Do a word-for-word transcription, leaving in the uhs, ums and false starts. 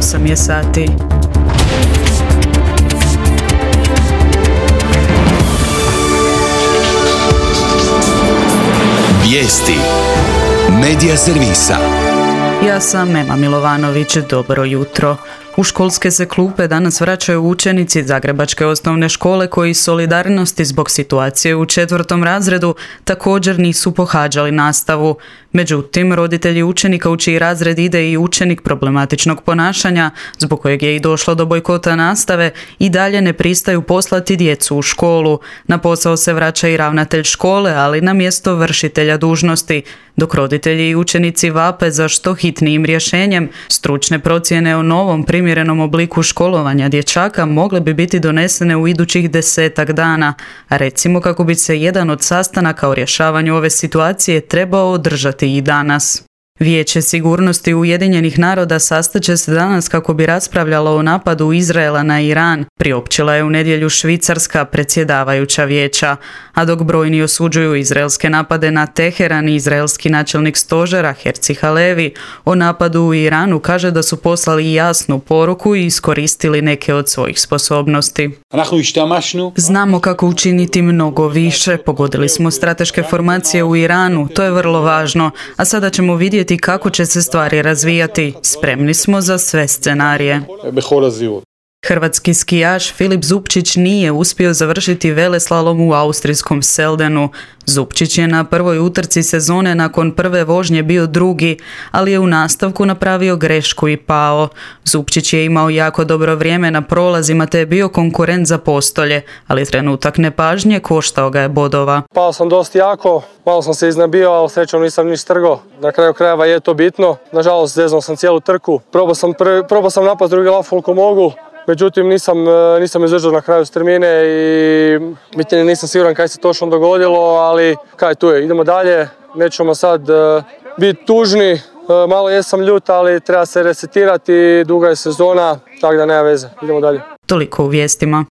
osam je sati. Vijesti Medija servisa. Ja sam Ema Milovanović, dobro jutro. U školske se klupe danas vraćaju učenici Zagrebačke osnovne škole koji solidarnosti zbog situacije u četvrtom razredu također nisu pohađali nastavu. Međutim, roditelji učenika u čiji razred ide i učenik problematičnog ponašanja, zbog kojeg je i došlo do bojkota nastave, i dalje ne pristaju poslati djecu u školu. Na posao se vraća i ravnatelj škole, ali na mjesto vršitelja dužnosti, dok roditelji i učenici vape za što hitnijim rješenjem. Stručne procjene o novom primjerenom obliku školovanja dječaka mogle bi biti donesene u idućih desetak dana, a recimo kako bi se jedan od sastanaka o rješavanju ove situacije trebao održati i danas. Vijeće sigurnosti Ujedinjenih naroda sastaće se danas kako bi raspravljalo o napadu Izraela na Iran, priopćila je u nedjelju Švicarska predsjedavajuća vijeća. A dok brojni osuđuju izraelske napade na Teheran, izraelski načelnik stožera Herzi Halevi o napadu u Iranu kaže da su poslali jasnu poruku i iskoristili neke od svojih sposobnosti. Znamo kako učiniti mnogo više, pogodili smo strateške formacije u Iranu, to je vrlo važno, a sada ćemo vidjeti kako će se stvari razvijati. Spremni smo za sve scenarije. Hrvatski skijaš Filip Zupčić nije uspio završiti veleslalom u austrijskom Seldenu. Zupčić je na prvoj utrci sezone nakon prve vožnje bio drugi, ali je u nastavku napravio grešku i pao. Zupčić je imao jako dobro vrijeme na prolazima te je bio konkurent za postolje, ali trenutak nepažnje koštao ga je bodova. Pao sam dosta jako, malo sam se iznabio, ali srećom nisam niš trgo. Na kraju krajeva je to bitno. Nažalost, zeznao sam cijelu trku. Probao sam, prvi, probao sam napast drugi laf koliko mogu. Međutim, nisam, nisam izdržao na kraju strmine i bitnije nisam siguran kaj se točno dogodilo, ali kaj tu je, idemo dalje, nećemo sad uh, biti tužni, uh, malo jesam ljut, ali treba se resetirati, duga je sezona, tako da nema veze, idemo dalje. Toliko u vijestima.